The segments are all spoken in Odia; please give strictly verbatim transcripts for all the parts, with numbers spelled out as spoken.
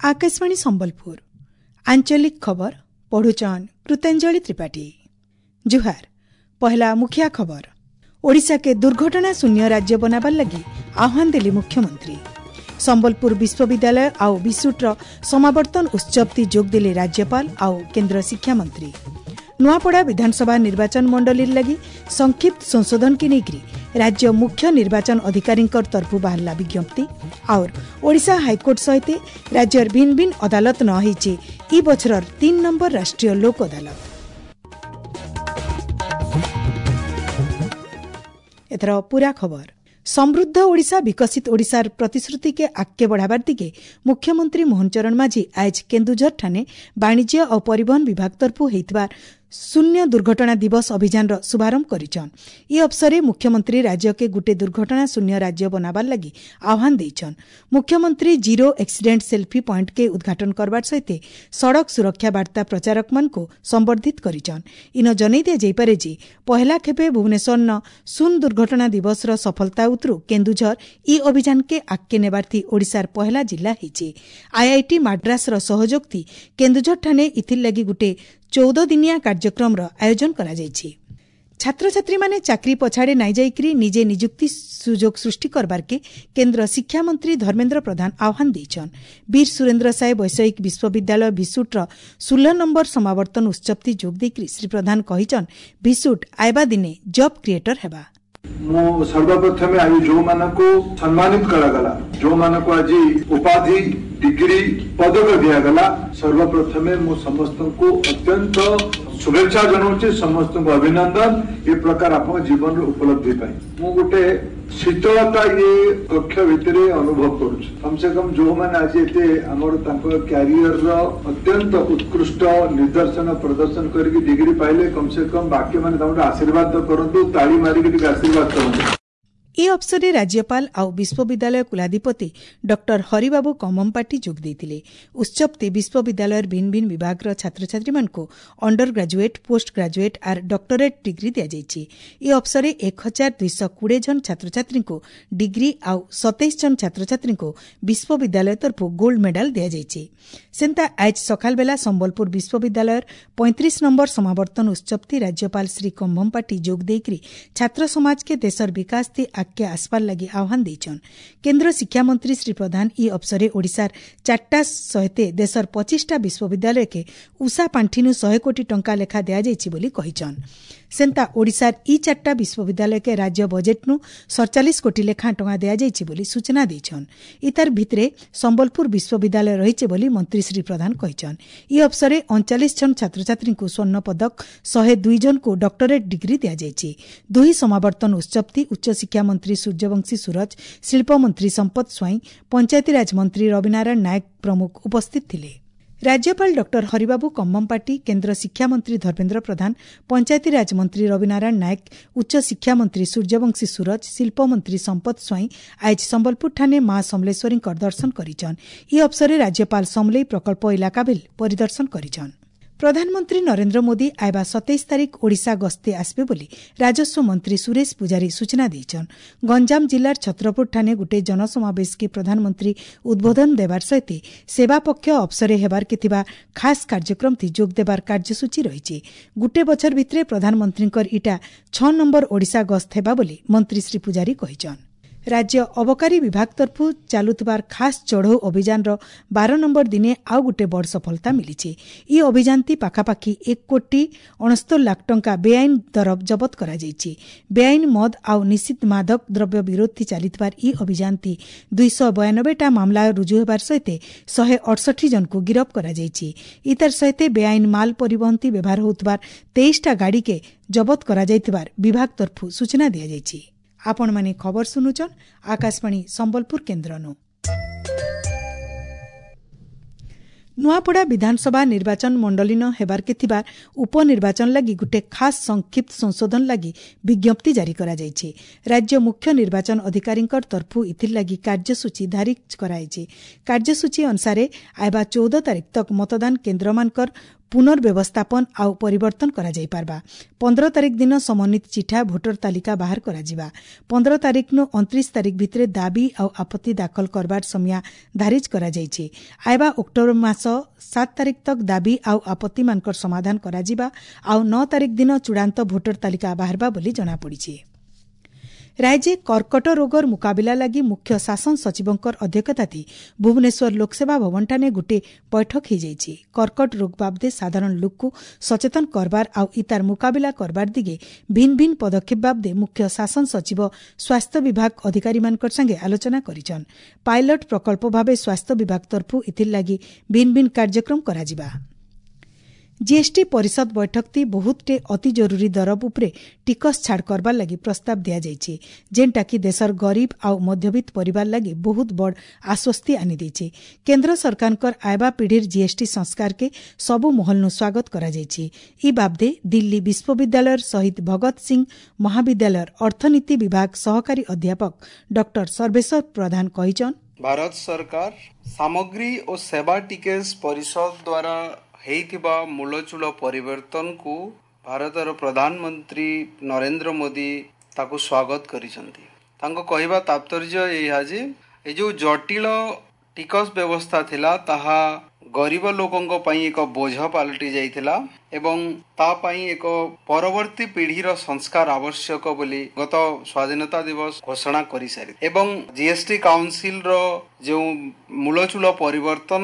ଆକାଶବାଣୀ ସମ୍ବଲପୁର ଆଞ୍ଚଳିକ ଖବର ପଢୁଛନ୍ କୃତାଞ୍ଜଳି ତ୍ରିପାଠୀ ଜୁହାର ପହଲା ମୁଖିଆ ଖବର ଓଡ଼ିଶାକେ ଦୁର୍ଘଟଣା ଶୂନ୍ୟ ରାଜ୍ୟ ବନାବାର ଲାଗି ଆହ୍ୱାନ ଦେଲେ ମୁଖ୍ୟମନ୍ତ୍ରୀ ସମ୍ବଲପୁର ବିଶ୍ୱବିଦ୍ୟାଳୟ ଆଉ ବିସୁଟ୍ର ସମାବର୍ତ୍ତନ ଉତ୍ସବତି ଯୋଗ ଦେଲେ ରାଜ୍ୟପାଳ ଆଉ କେନ୍ଦ୍ର ଶିକ୍ଷାମନ୍ତ୍ରୀ ନୂଆପଡ଼ା ବିଧାନସଭା ନିର୍ବାଚନ ମଣ୍ଡଳୀର ଲାଗି ସଂକ୍ଷିପ୍ତ ସଂଶୋଧନକେ ନେଇକରି ରାଜ୍ୟ ମୁଖ୍ୟ ନିର୍ବାଚନ ଅଧିକାରୀଙ୍କ ତରଫରୁ ବାହାରିଲା ବିଜ୍ଞପ୍ତି ଆଉର ଓଡ଼ିଶା ହାଇକୋର୍ଟ ସହିତ ରାଜ୍ୟର ଭିନ୍ନ ଭିନ୍ନ ଅଦାଲତ ନ ହେଇଛି ଇ ବଛରର ତିନ୍ ନମ୍ବର ରାଷ୍ଟ୍ରୀୟ ଲୋକ ଅଦାଲତ ଏଥର ପୂରା ଖବର ସମୃଦ୍ଧ ଓଡ଼ିଶା ବିକଶିତ ଓଡ଼ିଶାର ପ୍ରତିଶ୍ରୁତିକେ ଆଗକେ ବଢ଼ାବାର ଦିଗେ ମୁଖ୍ୟମନ୍ତ୍ରୀ ମୋହନ ଚରଣ ମାଝୀ ଆଜ କେନ୍ଦୁଝର ଠାନେ ବାଣିଜ୍ୟ ଓ ପରିବହନ ବିଭାଗ ତରଫରୁ ହେଇଥିବା ଶୂନ୍ୟ ଦୁର୍ଘଟଣା ଦିବସ ଅଭିଯାନର ଶୁଭାରମ୍ଭ କରିଛନ୍ ଇ ଅବସରେ ମୁଖ୍ୟମନ୍ତ୍ରୀ ରାଜ୍ୟକେ ଗୁଟେ ଦୁର୍ଘଟଣା ଶୂନ୍ୟ ରାଜ୍ୟ ବନାବାର ଲାଗି ଆହ୍ୱାନ ଦେଇଛନ୍ ମୁଖ୍ୟମନ୍ତ୍ରୀ ଜିରୋ ଆକ୍ସିଡେଣ୍ଟ ସେଲ୍ଫି ପଏଣ୍ଟକେ ଉଦ୍ଘାଟନ କରବାର ସହିତ ସଡ଼କ ସୁରକ୍ଷା ବାର୍ତ୍ତା ପ୍ରଚାରକମାନଙ୍କୁ ସମ୍ବର୍ଦ୍ଧିତ କରିଛନ୍ ଇନ ଜନେଇ ଦିଆଯାଇପାରେ ଯେ ପହେଲା ଖେପେ ଭୁବନେଶ୍ୱରନ ଶୂନ ଦୁର୍ଘଟଣା ଦିବସର ସଫଳତା ଉତରୁ କେନ୍ଦୁଝର ଇ ଅଭିଯାନକେ ଆଗକେ ନେବାର୍ଥି ଓଡ଼ିଶାର ପହେଲା ଜିଲ୍ଲା ହେଇଛି ଆଇଆଇଟି ମାଡ୍ରାସର ସହଯୋଗଥି କେନ୍ଦୁଝର ଠାନେ ଇଥିର୍ ଲାଗି ଗୁଟେ ଚଉଦ ଦିନିଆ କାର୍ଯ୍ୟକ୍ରମର ଆୟୋଜନ କରାଯାଇଛି ଛାତ୍ରଛାତ୍ରୀମାନେ ଚାକିରି ପଛାଡ଼େ ନାଇଁ ଯାଇକରି ନିଜେ ନିଯୁକ୍ତି ସୁଯୋଗ ସୃଷ୍ଟି କରବାର୍କେ କେନ୍ଦ୍ର ଶିକ୍ଷାମନ୍ତ୍ରୀ ଧର୍ମେନ୍ଦ୍ର ପ୍ରଧାନ ଆହ୍ୱାନ ଦେଇଛନ୍ ବୀର ସୁରେନ୍ଦ୍ର ସାଏ ବୈଷୟିକ ବିଶ୍ୱବିଦ୍ୟାଳୟ ଭିସୁଟ୍ର ଷୋହଳ ନମ୍ବର ସମାବର୍ତ୍ତନ ଉତ୍ସବତି ଯୋଗ ଦେଇକରି ଶ୍ରୀ ପ୍ରଧାନ କହିଛନ୍ ଭିସୁଟ୍ ଆଇବା ଦିନେ ଜବ୍ କ୍ରିଏଟର ହେବା ମୁଁ ସର୍ବପ୍ରଥମେ ଆଜି ଯୋଉମାନଙ୍କୁ ସମ୍ମାନିତ କରାଗଲା ଯୋଉମାନଙ୍କୁ ଆଜି ଉପାଧି ଡିଗ୍ରୀ ପଦକ ଦିଆଗଲା ସର୍ବପ୍ରଥମେ ମୁଁ ସମସ୍ତଙ୍କୁ ଅତ୍ୟନ୍ତ ଶୁଭେଚ୍ଛା ଜଣାଉଛି ସମସ୍ତଙ୍କୁ ଅଭିନନ୍ଦନ ଏ ପ୍ରକାର ଆପଣଙ୍କ ଜୀବନର ଉପଲବ୍ଧି ପାଇଁ ମୁଁ ଗୋଟେ ଶୀତଳତା ଇଏ କକ୍ଷ ଭିତରେ ଅନୁଭବ କରୁଛି କମ ସେ କମ ଯୋଉମାନେ ଆଜି ଏତେ ଆମର ତାଙ୍କ କ୍ୟାରିୟରର ଅତ୍ୟନ୍ତ ଉତ୍କୃଷ୍ଟ ନିଦର୍ଶନ ପ୍ରଦର୍ଶନ କରିକି ଡିଗ୍ରୀ ପାଇଲେ କମ ସେ କମ ବାକି ମାନେ ତାଙ୍କୁ ଆଶୀର୍ବାଦ କରନ୍ତୁ ତାଳି ମାରିକି ଟିକେ ଆଶୀର୍ବାଦ କରନ୍ତୁ ଏ ଅବସରରେ ରାଜ୍ୟପାଳ ଆଉ ବିଶ୍ୱବିଦ୍ୟାଳୟ କୁଳାଧିପତି ଡକ୍ଟର ହରିବାବୁ କମ୍ଭମପାଟି ଯୋଗ ଦେଇଥିଲେ ଉତ୍ସବତି ବିଶ୍ୱବିଦ୍ୟାଳୟର ଭିନ୍ନ ଭିନ୍ନ ବିଭାଗର ଛାତ୍ରଛାତ୍ରୀମାନଙ୍କୁ ଅଣ୍ଡର ଗ୍ରାଜୁଏଟ୍ ପୋଷ୍ଟ ଗ୍ରାଜୁଏଟ୍ ଆର୍ ଡକ୍ଟରେଟ୍ ଡିଗ୍ରୀ ଦିଆଯାଇଛି ଏ ଅବସରରେ ଏକ ହଜାର ଦୁଇଶହ କୋଡ଼ିଏ ଜଣ ଛାତ୍ରଛାତ୍ରୀଙ୍କୁ ଡିଗ୍ରୀ ଆଉ ସତେଇଶ ଜଣ ଛାତ୍ରଛାତ୍ରୀଙ୍କୁ ବିଶ୍ୱବିଦ୍ୟାଳୟ ତରଫରୁ ଗୋଲ୍ଡ ମେଡାଲ ଦିଆଯାଇଛି ସେନ୍ତା ଆଜ ସକାଳବେଲା ସମ୍ବଲପୁର ବିଶ୍ୱବିଦ୍ୟାଳୟର ପଇଁତିରିଶ ନମ୍ବର ସମାବର୍ତ୍ତନ ଉତ୍ସବତି ରାଜ୍ୟପାଳ ଶ୍ରୀ କମ୍ଭମପାଟି ଯୋଗ ଦେଇକରି ଛାତ୍ର ସମାଜକେ ଦେଶର ବିକାଶ ଥି ଆଗକେ ଆସବାର ଲାଗି ଆହ୍ୱାନ ଦେଇଛନ୍ କେନ୍ଦ୍ର ଶିକ୍ଷାମନ୍ତ୍ରୀ ଶ୍ରୀ ପ୍ରଧାନ ଇ ଅବସରେ ଓଡ଼ିଶାର ଚାରିଟା ସହିତ ଦେଶର ପଚିଶଟା ବିଶ୍ୱବିଦ୍ୟାଳୟକେ ଉଷା ପାଣ୍ଠିନୁ ଶହେ କୋଟି ଟଙ୍କା ଲେଖା ଦିଆଯାଇଛି ବୋଲି କହିଛନ୍ ସେନ୍ତା ଓଡ଼ିଶାର ଇ ଚାରିଟା ବିଶ୍ୱବିଦ୍ୟାଳୟକେ ରାଜ୍ୟ ବଜେଟ୍ନୁ ସଡ଼ଚାଳିଶ କୋଟି ଲେଖା ଟଙ୍କା ଦିଆଯାଇଛି ବୋଲି ସୂଚନା ଦେଇଛନ୍ ଇତାର ଭିତରେ ସମ୍ବଲପୁର ବିଶ୍ୱବିଦ୍ୟାଳୟ ରହିছে ବୋଲି ମନ୍ତ୍ରୀ ଶ୍ରୀ ପ୍ରଧାନ କହିଛନ୍ ଇ ଅବସରେ ଅଣଚାଳିଶ ଜଣ ଛାତ୍ରଛାତ୍ରୀଙ୍କୁ ସ୍ୱର୍ଣ୍ଣ ପଦକ ଶହେ ଦୁଇ ଜଣଙ୍କୁ ଡକ୍ଟରେଟ୍ ଡିଗ୍ରୀ ଦିଆଯାଇଛି ଦୁଇ ସମାବର୍ତ୍ତନ ଉତ୍ସବତି ଉଚ୍ଚଶିକ୍ଷା ମନ୍ତ୍ରୀ ସୂର୍ଯ୍ୟବଂଶୀ ସୁରଜ ଶିଳ୍ପମନ୍ତ୍ରୀ ସମ୍ପଦ ସ୍ୱାଇଁ ପଞ୍ଚାୟତିରାଜ ମନ୍ତ୍ରୀ ରବିନାରାୟଣ ନାୟକ ପ୍ରମୁଖ ଉପସ୍ଥିତ ଥିଲେ ରାଜ୍ୟପାଳ ଡକ୍ଟର ହରିବାବୁ କମ୍ଭମପାଟି କେନ୍ଦ୍ର ଶିକ୍ଷାମନ୍ତ୍ରୀ ଧର୍ମେନ୍ଦ୍ର ପ୍ରଧାନ ପଞ୍ଚାୟତିରାଜ ମନ୍ତ୍ରୀ ରବିନାରାୟଣ ନାୟକ ଉଚ୍ଚଶିକ୍ଷାମନ୍ତ୍ରୀ ସୂର୍ଯ୍ୟବଂଶୀ ସୁରଜ ଶିଳ୍ପମନ୍ତ୍ରୀ ସମ୍ପଦ ସ୍ୱାଇଁ ଆଜ ସମ୍ବଲପୁରଠାନେ ମା ସମଲେଶ୍ୱରୀଙ୍କ ଦର୍ଶନ କରିଛନ୍ ଇ ଅବସରରେ ରାଜ୍ୟପାଳ ସମଲେଇ ପ୍ରକଳ୍ପ ଇଲାକା ବିଲ୍ ପରିଦର୍ଶନ କରିଛନ୍ ପ୍ରଧାନମନ୍ତ୍ରୀ ନରେନ୍ଦ୍ର ମୋଦି ଆଇବା ସତେଇଶ ତାରିଖ ଓଡ଼ିଶା ଗସ୍ତେ ଆସିବେ ବୋଲି ରାଜସ୍ୱ ମନ୍ତ୍ରୀ ସୁରେଶ ପୂଜାରୀ ସୂଚନା ଦେଇଛନ୍ ଗଞ୍ଜାମ ଜିଲ୍ଲାର ଛତ୍ରପୁରଠାନେ ଗୋଟିଏ ଜନସମାବେଶକେ ପ୍ରଧାନମନ୍ତ୍ରୀ ଉଦ୍ବୋଧନ ଦେବାର ସହିତ ସେବା ପକ୍ଷ ଅବସରେ ହେବାର୍କେ ଥିବା ଖାସ୍ କାର୍ଯ୍ୟକ୍ରମଥି ଯୋଗ ଦେବାର କାର୍ଯ୍ୟସୂଚୀ ରହିଛି ଗୋଟିଏ ବଛର ଭିତରେ ପ୍ରଧାନମନ୍ତ୍ରୀଙ୍କର ଇଟା ଛଅ ନମ୍ବର ଓଡ଼ିଶା ଗସ୍ତ ହେବା ବୋଲି ମନ୍ତ୍ରୀ ଶ୍ରୀ ପୂଜାରୀ କହିଛନ୍ ରାଜ୍ୟ ଅବକାରୀ ବିଭାଗ ତରଫରୁ ଚାଲୁଥିବାର ଖାସ୍ ଚଢ଼ଉ ଅଭିଯାନର ବାର ନମ୍ବର ଦିନେ ଆଉ ଗୋଟେ ବଡ଼ ସଫଳତା ମିଳିଛି ଇ ଅଭିଯାନଟି ପାଖାପାଖି ଏକ କୋଟି ଅଣସ୍ତର ଲାଖ ଟଙ୍କା ବେଆଇନ ଦରବ ଜବତ କରାଯାଇଛି ବେଆଇନ ମଦ ଆଉ ନିଷିଦ୍ଧ ମାଦକ ଦ୍ରବ୍ୟ ବିରୋଧୀ ଚାଲିଥିବାର ଇ ଅଭିଯାନଟି ଦୁଇଶହ ବୟାନବେଟା ମାମଲା ରୁଜୁ ହେବାର ସହିତ ଶହେ ଅଠଷଠି ଜଣଙ୍କୁ ଗିରଫ କରାଯାଇଛି ଇତାର ସହିତ ବେଆଇନ ମାଲ ପରିବହନତି ବ୍ୟବହାର ହେଉଥିବାର ତେଇଶଟା ଗାଡ଼ିକେ ଜବତ କରାଯାଇଥିବାର ବିଭାଗ ତରଫରୁ ସୂଚନା ଦିଆଯାଇଛି ଆପଣମାନେ ଖବର ଶୁଣୁଛନ୍ ଆକାଶବାଣୀ ସମ୍ବଲପୁର କେନ୍ଦ୍ରନୁ ନୂଆପଡ଼ା ବିଧାନସଭା ନିର୍ବାଚନ ମଣ୍ଡଳୀନ ହେବାର୍କେ ଥିବା ଉପନିର୍ବାଚନ ଲାଗି ଗୋଟେ ଖାସ୍ ସଂକ୍ଷିପ୍ତ ସଂଶୋଧନ ଲାଗି ବିଜ୍ଞପ୍ତି ଜାରି କରାଯାଇଛି ରାଜ୍ୟ ମୁଖ୍ୟ ନିର୍ବାଚନ ଅଧିକାରୀଙ୍କ ତରଫରୁ ଇଥିର୍ ଲାଗି କାର୍ଯ୍ୟସୂଚୀ ଧାରି କରାଯାଇଛି କାର୍ଯ୍ୟସୂଚୀ ଅନୁସାରେ ଆଇବା ଚଉଦ ତାରିଖ ତକ୍ ମତଦାନ କେନ୍ଦ୍ରମାନଙ୍କର ପୁନର୍ବ୍ୟବସ୍ଥାପନ ଆଉ ପରିବର୍ତ୍ତନ କରାଯାଇପାରବା। ପନ୍ଦର ତାରିଖ ଦିନ ସମନ୍ୱିତ ଚିଠା ଭୋଟର ତାଲିକା ବାହାର କରାଯିବା। ପନ୍ଦର ତାରିଖନୁ ଅଣତିରିଶ ତାରିଖ ଭିତରେ ଦାବି ଆଉ ଆପତ୍ତି ଦାଖଲ କରବାର ସମୟ ଧାରିଜ କରାଯାଇଛି। ଆଇବା ଅକ୍ଟୋବର ମାସ ସାତ ତାରିଖ ତକ ଦାବି ଆଉ ଆପତ୍ତିମାନଙ୍କର ସମାଧାନ କରାଯିବା ଆଉ ନଅ ତାରିଖ ଦିନ ଚୂଡ଼ାନ୍ତ ଭୋଟର ତାଲିକା ବାହାରବା ବୋଲି ଜଣାପଡ଼ିଛି। ରାଜ୍ୟ କର୍କଟ ରୋଗର ମୁକାବିଲା ଲାଗି ମୁଖ୍ୟ ଶାସନ ସଚିବଙ୍କର ଅଧ୍ୟକ୍ଷତାଥି ଭୁବନେଶ୍ୱର ଲୋକସେବା ଭବନଠାନେ ଗୋଟିଏ ବୈଠକ ହୋଇଯାଇଛି। କର୍କଟ ରୋଗ ବାବଦେ ସାଧାରଣ ଲୋକକୁ ସଚେତନ କରବାର ଆଉ ଇତାର ମୁକାବିଲା କରବାର ଦିଗେ ଭିନ୍ନ ଭିନ୍ନ ପଦକ୍ଷେପ ବାବଦେ ମୁଖ୍ୟ ଶାସନ ସଚିବ ସ୍ୱାସ୍ଥ୍ୟ ବିଭାଗ ଅଧିକାରୀମାନଙ୍କର ସାଙ୍ଗେ ଆଲୋଚନା କରିଛନ୍। ପାଇଲଟ ପ୍ରକଳ୍ପ ଭାବେ ସ୍ୱାସ୍ଥ୍ୟ ବିଭାଗ ତରଫରୁ ଏଥିର୍ ଲାଗି ଭିନ୍ନ ଭିନ୍ନ କାର୍ଯ୍ୟକ୍ରମ କରାଯିବା। ଜିଏସ୍ଟି ପରିଷଦ ବୈଠକଟି ବହୁତଟେ ଅତି ଜରୁରୀ ଦରବ ଉପରେ ଟିକସ ଛାଡ଼ କରବାର ଲାଗି ପ୍ରସ୍ତାବ ଦିଆଯାଇଛି, ଯେନ୍ଟାକି ଦେଶର ଗରିବ ଆଉ ମଧ୍ୟବିତ୍ତ ପରିବାର ଲାଗି ବହୁତ ବଡ଼ ଆଶ୍ୱସ୍ତି ଆଣିଦେଇଛି। କେନ୍ଦ୍ର ସରକାରଙ୍କର ଆଇବା ପିଢ଼ିର ଜିଏସ୍ଟି ସଂସ୍କାରକେ ସବୁ ମହଲନୁ ସ୍ୱାଗତ କରାଯାଇଛି। ଇ ବାବଦେ ଦିଲ୍ଲୀ ବିଶ୍ୱବିଦ୍ୟାଳୟର ଶହୀଦ ଭଗତ ସିଂ ମହାବିଦ୍ୟାଳୟର ଅର୍ଥନୀତି ବିଭାଗ ସହକାରୀ ଅଧ୍ୟାପକ ଡକ୍ଟର ସର୍ବେଶ୍ୱର ପ୍ରଧାନ କହିଛନ୍, ଭାରତ ସରକାର ସାମଗ୍ରୀ ଓ ସେବା ଟିକସ ପରିଷଦ ଦ୍ୱାରା ହେଇଥିବା ମୂଳଚୂଳ ପରିବର୍ତ୍ତନକୁ ଭାରତର ପ୍ରଧାନମନ୍ତ୍ରୀ ନରେନ୍ଦ୍ର ମୋଦି ତାକୁ ସ୍ୱାଗତ କରିଛନ୍ତି। ତାଙ୍କ କହିବା ତାତ୍ପର୍ଯ୍ୟ ଏହା ଯେ ଏ ଯେଉଁ ଜଟିଳ ଟିକସ ବ୍ୟବସ୍ଥା ଥିଲା ତାହା ଗରିବ ଲୋକଙ୍କ ପାଇଁ ଏକ ବୋଝ ପାଲଟି ଯାଇଥିଲା ଏବଂ ତା ପାଇଁ ଏକ ପରବର୍ତ୍ତୀ ପିଢ଼ିର ସଂସ୍କାର ଆବଶ୍ୟକ ବୋଲି ଗତ ସ୍ୱାଧୀନତା ଦିବସ ଘୋଷଣା କରିସାରି ଏବଂ ଜିଏସ୍ଟି କାଉନସିଲର ଯେଉଁ ମୂଳଚୂଳ ପରିବର୍ତ୍ତନ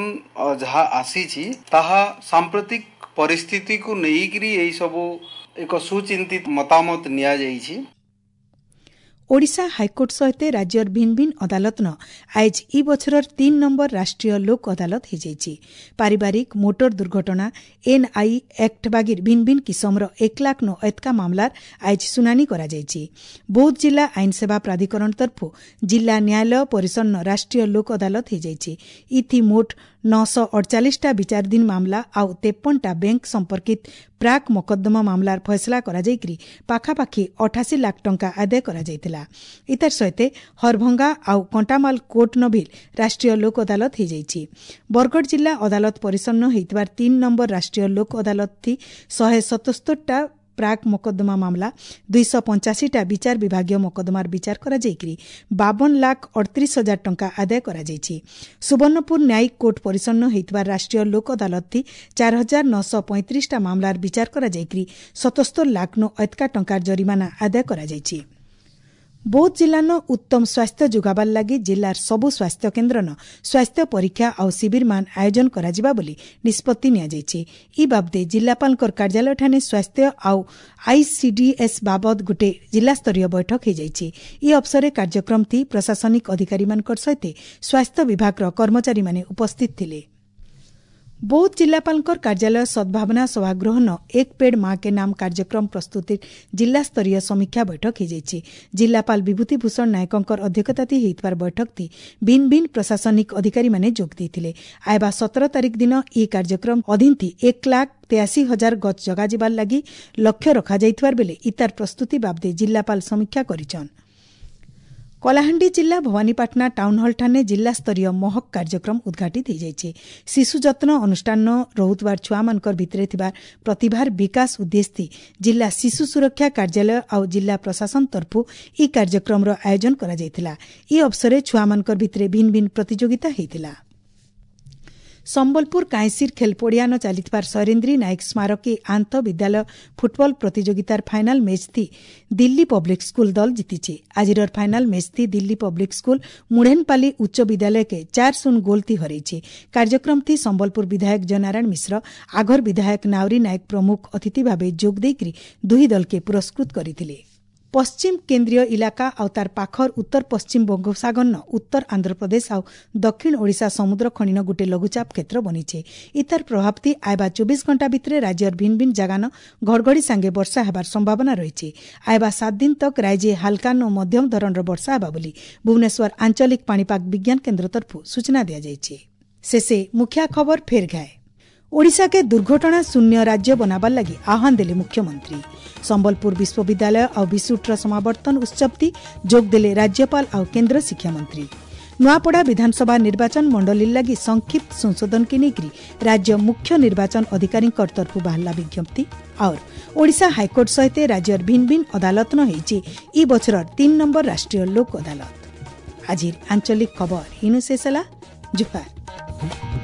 ଯାହା ଆସିଛି ତାହା ସାମ୍ପ୍ରତିକ ପରିସ୍ଥିତିକୁ ନେଇକରି ଏହିସବୁ ଏକ ସୁଚିନ୍ତିତ ମତାମତ ନିଆଯାଇଛି। ଓଡ଼ିଶା ହାଇକୋର୍ଟ ସହିତ ରାଜ୍ୟର ଭିନ୍ନ ଭିନ୍ନ ଅଦାଲତନ ଆଇଜ ଇ ବଛରର ତିନ୍ ନମ୍ବର ରାଷ୍ଟ୍ରୀୟ ଲୋକ ଅଦାଲତ ହୋଇଯାଇଛି। ପାରିବାରିକ, ମୋଟର ଦୁର୍ଘଟଣା, ଏନ୍ଆଇ ଆକ୍ଟ ବାଗିର ଭିନ୍ନ ଭିନ୍ନ କିସମର ଏକ ଲାଖ ନୋ ଏତକା ମାମଲାର ଆଇଜ ଶୁଣାଣି କରାଯାଇଛି। ବୌଦ୍ଧ ଜିଲ୍ଲା ଆଇନ ସେବା ପ୍ରାଧିକରଣ ତରଫରୁ ଜିଲ୍ଲା ନ୍ୟାୟାଳୟ ପରିସରନ ରାଷ୍ଟ୍ରୀୟ ଲୋକ ଅଦାଲତ ହୋଇଯାଇଛି। ଇଥି ମୋଟ ନଅଶହ ଅଡ଼ଚାଳିଶଟା ବିଚାରାଧୀନ ମାମଲା ଆଉ ତେପନଟା ବ୍ୟାଙ୍କ ସମ୍ପର୍କିତ ପ୍ରାକ୍ ମକଦ୍ଦମା ମାମଲାର ଫଇସଲା କରାଯାଇକରି ପାଖାପାଖି ଅଠାଅଶୀ ଲାଖ ଟଙ୍କା ଆଦାୟ କରାଯାଇଥିଲା। ଇତାର ସହିତ ହରଭଙ୍ଗା ଆଉ କଣ୍ଟାମାଲ କୋର୍ଟ ନଭିଲ ରାଷ୍ଟ୍ରୀୟ ଲୋକ ଅଦାଲତ ହୋଇଯାଇଛି। ବରଗଡ଼ ଜିଲ୍ଲା ଅଦାଲତ ପରିସରନ ହୋଇଥିବାର ତିନି ନମ୍ବର ରାଷ୍ଟ୍ରୀୟ ଲୋକ ଅଦାଲତ ଶହେ ସତସ୍ତରଟା ପ୍ରାକ୍ ମକଦ୍ଦମା ମାମଲା, ଦୁଇଶହ ପଞ୍ଚାଅଶୀଟା ବିଚାର ବିଭାଗୀୟ ମକଦ୍ଦମାର ବିଚାର କରାଯାଇକରି ବାବନ ଲାଖ ଅଠତିରିଶ ହଜାର ଟଙ୍କା ଆଦାୟ କରାଯାଇଛି। ସୁବର୍ଣ୍ଣପୁର ନ୍ୟାୟିକ କୋର୍ଟ ପରିସରନ ହୋଇଥିବା ରାଷ୍ଟ୍ରୀୟ ଲୋକ ଅଦାଲତ ଚାରି ହଜାର ନଅଶହ ପଇଁତିରିଶଟା ମାମଲାର ବିଚାର କରାଯାଇକରି ସତସ୍ତର ଲାଖ ନୁ ଏତକା ଟଙ୍କାର ଜରିମାନା ଆଦାୟ କରାଯାଇଛି। ବୌଦ୍ଧ ଜିଲ୍ଲାନ ଉତ୍ତମ ସ୍ୱାସ୍ଥ୍ୟ ଯୋଗାବାର ଲାଗି ଜିଲ୍ଲାର ସବୁ ସ୍ୱାସ୍ଥ୍ୟ କେନ୍ଦ୍ରନ ସ୍ୱାସ୍ଥ୍ୟ ପରୀକ୍ଷା ଆଉ ଶିବିରମାନ ଆୟୋଜନ କରାଯିବା ବୋଲି ନିଷ୍ପତ୍ତି ନିଆଯାଇଛି। ଇ ବାବଦେ ଜିଲ୍ଲାପାଳଙ୍କର କାର୍ଯ୍ୟାଳୟଠାନେ ସ୍ୱାସ୍ଥ୍ୟ ଆଉ ଆଇସିଡିଏସ୍ ବାବଦ ଗୋଟେ ଜିଲ୍ଲାସ୍ତରୀୟ ବୈଠକ ହୋଇଯାଇଛି। ଇ ଅବସରରେ କାର୍ଯ୍ୟକ୍ରମଟି ପ୍ରଶାସନିକ ଅଧିକାରୀମାନଙ୍କର ସହିତ ସ୍ୱାସ୍ଥ୍ୟ ବିଭାଗର କର୍ମଚାରୀମାନେ ଉପସ୍ଥିତ ଥିଲେ। ବୌଦ୍ଧ ଜିଲ୍ଲାପାଳଙ୍କର କାର୍ଯ୍ୟାଳୟ ସଦ୍ଭାବନା ସଭାଗୃହନ ଏକ ପେଡ଼ ମା କେ ନାମ କାର୍ଯ୍ୟକ୍ରମ ପ୍ରସ୍ତୁତି ଜିଲ୍ଲାସ୍ତରୀୟ ସମୀକ୍ଷା ବୈଠକ ହୋଇଯାଇଛି। ଜିଲ୍ଲାପାଳ ବିଭୂତି ଭୂଷଣ ନାୟକଙ୍କର ଅଧ୍ୟକ୍ଷତାଥି ହୋଇଥିବାର ବୈଠକଟି ଭିନ୍ନ ଭିନ୍ନ ପ୍ରଶାସନିକ ଅଧିକାରୀମାନେ ଯୋଗ ଦେଇଥିଲେ। ଆଇବା ସତର ତାରିଖ ଦିନ ଏହି କାର୍ଯ୍ୟକ୍ରମ ଅଧୀନଥି ଏକ ଲାଖ ତେୟାଅଶୀ ହଜାର ଗଛ ଜଗାଯିବାର ଲାଗି ଲକ୍ଷ୍ୟ ରଖାଯାଇଥିବାର ବେଲେ ଇତାର ପ୍ରସ୍ତୁତି ବାବଦେ ଜିଲ୍ଲାପାଳ ସମୀକ୍ଷା କରିଛନ୍। କଳାହାଣ୍ଡି ଜିଲ୍ଲା ଭବାନୀପାଟଣା ଟାଉନହଲଠାନେ ଜିଲ୍ଲାସ୍ତରୀୟ ମହକ କାର୍ଯ୍ୟକ୍ରମ ଉଦ୍ଘାଟିତ ହୋଇଯାଇଛି। ଶିଶୁ ଯତ୍ନ ଅନୁଷ୍ଠାନ ରହୁଥିବାର ଛୁଆମାନଙ୍କର ଭିତରେ ଥିବା ପ୍ରତିଭାର ବିକାଶ ଉଦ୍ଦେଶ୍ୟ ଜିଲ୍ଲା ଶିଶୁ ସୁରକ୍ଷା କାର୍ଯ୍ୟାଳୟ ଆଉ ଜିଲ୍ଲା ପ୍ରଶାସନ ତରଫରୁ ଏହି କାର୍ଯ୍ୟକ୍ରମର ଆୟୋଜନ କରାଯାଇଥିଲା। ଏହି ଅବସରରେ ଛୁଆମାନଙ୍କର ଭିତରେ ଭିନ୍ନ ଭିନ୍ନ ପ୍ରତିଯୋଗିତା ହୋଇଥିଲା। ସମ୍ବଲପୁର କାଇଁସିର ଖେଲପଡ଼ିଆନ ଚାଲିଥିବାର ଶୈରେନ୍ଦ୍ରୀ ନାୟକ ସ୍ମାରକୀ ଆନ୍ତଃ ବିଦ୍ୟାଳୟ ଫୁଟବଲ ପ୍ରତିଯୋଗିତାର final match Delhi public school ଦଳ ଜିତିଛି। ଆଜିର final match Delhi public school Mudhenpali ଉଚ୍ଚ ବିଦ୍ୟାଳୟକେ ଚାର ଶୂନ ଗୋଲ ଥି ହରାଇଛି। କାର୍ଯ୍ୟକ୍ରମଥି ସମ୍ବଲପୁର ବିଧାୟକ ଜୟନାରାୟଣ ମିଶ୍ର, ଆଘର ବିଧାୟକ ନାଉରୀ ନାୟକ ପ୍ରମୁଖ ଅତିଥି ଭାବେ ଯୋଗ ଦେଇକରି ଦୁହି ଦଳକେ ପୁରସ୍କୃତ କରିଥିଲେ। ପଶ୍ଚିମ କେନ୍ଦ୍ରୀୟ ଇଲାକା ଆଉ ତାର ପାଖର ଉତ୍ତର ପଶ୍ଚିମ ବଙ୍ଗୋପସାଗରନ ଉତ୍ତର ଆନ୍ଧ୍ରପ୍ରଦେଶ ଆଉ ଦକ୍ଷିଣ ଓଡ଼ିଶା ସମୁଦ୍ର ଖଣିନ ଗୋଟେ ଲଘୁଚାପ କ୍ଷେତ୍ର ବନିଛେ। ଇତାର ପ୍ରଭାବତି ଆଇବା ଚବିଶ ଘଣ୍ଟା ଭିତରେ ରାଜ୍ୟର ଭିନ୍ନ ଭିନ୍ନ ଜାଗାନ ଘଡ଼ଘଡ଼ି ସାଙ୍ଗେ ବର୍ଷା ହେବାର ସମ୍ଭାବନା ରହିଛି। ଆଇବା ସାତ ଦିନ ତକ ରାଜ୍ୟ ହାଲକା ଓ ମଧ୍ୟମ ଧରଣର ବର୍ଷା ହେବା ବୋଲି ଭୁବନେଶ୍ୱର ଆଞ୍ଚଳିକ ପାଣିପାଗ ବିଜ୍ଞାନ କେନ୍ଦ୍ର ତରଫରୁ ସୂଚନା ଦିଆଯାଇଛି। ଶେଷେ ମୁଖ୍ୟ ଖବର ଫେର ଘାଏ। ଓଡ଼ିଶାକେ ଦୁର୍ଘଟଣା ଶୂନ୍ୟ ରାଜ୍ୟ ବନାବାର ଲାଗି ଆହ୍ୱାନ ଦେଲେ ମୁଖ୍ୟମନ୍ତ୍ରୀ। ସମ୍ବଲପୁର ବିଶ୍ୱବିଦ୍ୟାଳୟ ଆଉ ବିସୁଟ୍ର ସମାବର୍ତ୍ତନ ଉତ୍ସବଟି ଯୋଗ ଦେଲେ ରାଜ୍ୟପାଳ ଆଉ କେନ୍ଦ୍ର ଶିକ୍ଷାମନ୍ତ୍ରୀ। ନୂଆପଡ଼ା ବିଧାନସଭା ନିର୍ବାଚନ ମଣ୍ଡଳୀ ଲାଗି ସଂକ୍ଷିପ୍ତ ସଂଶୋଧନକେ ନେଇକରି ରାଜ୍ୟ ମୁଖ୍ୟ ନିର୍ବାଚନ ଅଧିକାରୀଙ୍କ ତରଫୁ ବାହାରିଲା ବିଜ୍ଞପ୍ତି। और ଓଡ଼ିଶା ହାଇକୋର୍ଟ ସହିତ ରାଜ୍ୟର ଭିନ୍ନ ଭିନ୍ନ ଅଦାଲତ ନ ହେଇଛି ଇ ବଛରର ତିନ୍ ନମ୍ବର ରାଷ୍ଟ୍ରୀୟ ଲୋକ ଅଦାଲତ। ଆଜିର ଆଞ୍ଚଳିକ ଖବର ଇନୁ ଶେଷ ହେଲା। ଜୁହାର।